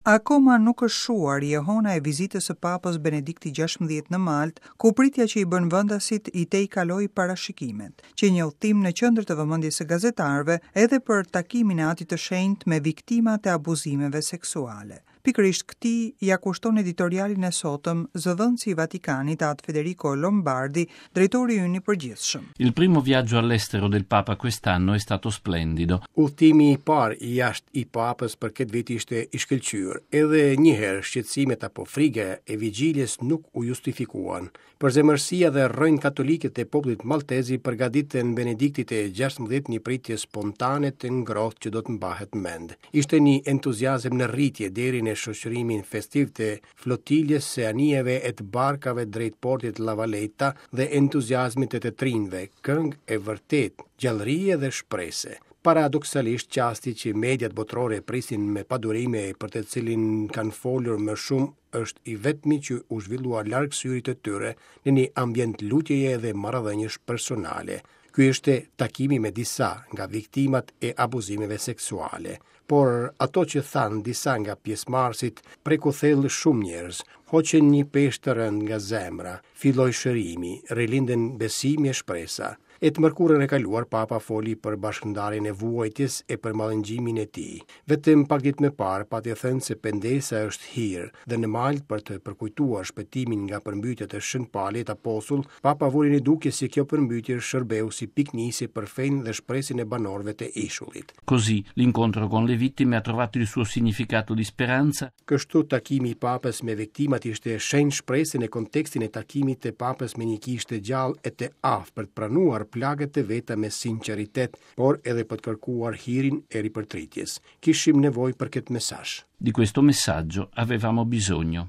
Akoma nuk është shuar jehona e vizitës së Papës Benedikti XVI në Maltë, ku pritja që i bënë vendasit i tejkaloi parashikimet. Qe një udhëtim në qendër të vëmendjes së gazetarëve edhe për takimin e Atit të Shenjtë me viktimat e abuzimeve seksuale. Pikërisht këtij ia kushton editorialin e sotëm zëdhënësi i Vatikanit At Federico Lombardi, drejtori ynë i përgjithshëm. Il primo viaggio all'estero del Papa quest'anno è stato splendido. Udhëtimi i parë i jashtë i Papës për këtë vit ishte i shkëlqyer. Edhe një herë shqetësimet apo frika e vigjiljes nuk u justifikuan. Përzemërsia dhe rrënjët katolike të popullit maltez i përgatitën Benediktit të 16 një pritje spontane të ngrohtë që do të mbahet mend. Ishte një entuziazëm në rritje deri në shoqërimin festiv të flotiljes së anijeve e të barkave drejt portit La Valetta dhe entuziazmit të të rinjve, këngë e vërtetë, gjallërie dhe shprese. Paradoksalisht, çasti që mediat botërore prisin me padurim e për të cilin kanë folur më shumë është i vetmi që u zhvillua larg syrit të tyre në një ambient lutjeje dhe marrëdhëniesh personale. Ky ishte takimi me disa nga viktimat e abuzimeve seksuale. Por ato që thanë disa nga pjesëmarrësit preku thellë shumë njerëz, hoqën një peshë të rëndë nga zemra, filloi shërimi, rilindën besimi e shpresa. E të mërkurën e kaluar Papa foli për bashkëndarjen e vuajtjes e për mallëngjimin e tij. Vetëm pak ditë më parë pati thënë se pendesa është hir dhe në Maltë për të përkujtuar shpëtimin nga përmbytjet e Shën Palit Apostull, Papa vuri në dukje se kjo përmbytje shërbeu si pikënisje për fenë dhe shpresën e banorëve të ishullit. Così l'incontro con le vittime ha trovato il suo significato di speranza. Kështu takimi i Papës me viktimat ishte shenjë shprese në kontekstin e takimit të Papës me një kishë të gjallë e të aftë për të pranuar plagët e veta me sinqeritet, por edhe për të kërkuar hirin e ripërtritjes. Kishim nevojë për këtë mesazh. Di questo messaggio avevamo bisogno.